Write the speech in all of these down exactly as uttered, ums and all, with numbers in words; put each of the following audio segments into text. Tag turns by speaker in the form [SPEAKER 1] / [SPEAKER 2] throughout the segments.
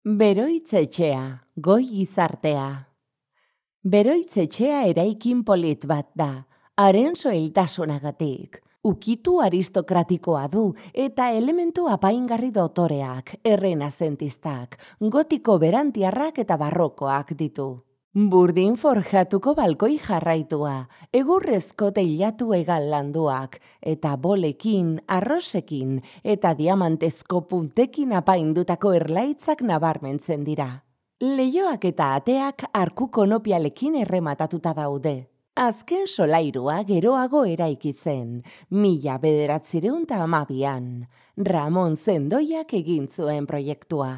[SPEAKER 1] Beroitz-etxea, goi gizartea. Beroitz-etxea eraikin polit bat da, haren soiltasunagatik. Ukitu aristokratikoa du eta elementu apaingarri dotoreak, errenazentistak, gotiko berantiarrak eta barrokoak ditu. Burdin forjatuko balkoi jarraitua, egurrezko teilatu egal landuak, eta bolekin, arrosekin eta diamantezko puntekin apaindutako erlaitzak nabarmentzen dira. Leihoak eta ateak arku konopialekin errematatuta daude. Azken solairua geroago eraiki zen, mila bederatziehun eta hamabian, Ramon Zendoiak egin zuen proiektua.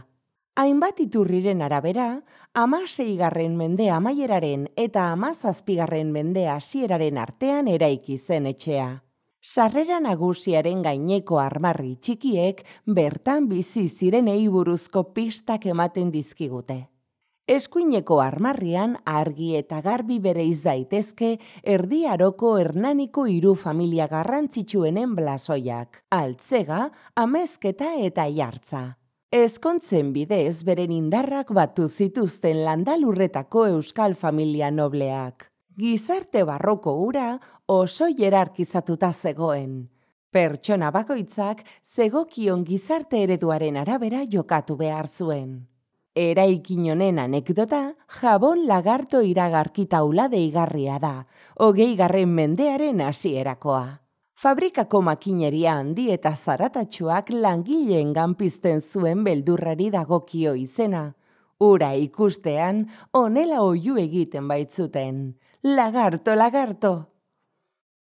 [SPEAKER 1] Hainbat iturriren arabera, hamaseigarren mende amaieraren eta hamazazpigarren mende hasieraren artean eraiki zen etxea. Sarrera nagusiaren gaineko armarri txikiek bertan bizi zirenei buruzko pistak ematen dizkigute. Eskuineko armarrian argi eta garbi bereiz daitezke Erdi Aroko Hernaniko hiru familia garrantzitsuenen blasoiak, Altzega, Amezketa eta Jartza. Ezkontzen bidez beren indarrak batu zituzten landalurretako euskal familia nobleak. Gizarte barroko hura oso hierarkizatuta zegoen. Pertsona bakoitzak zegokion gizarte ereduaren arabera jokatu behar zuen. Eraikin honen anekdota Jabon Lagarto iragarki taula deigarria da, hogeigarren mendearen hasierakoa. Fabrikako makineria handi eta zaratatsuak langileengan pizten zuen beldurrari dagokio izena. Ura ikustean honela oihu egiten baitzuten. Lagarto, lagarto!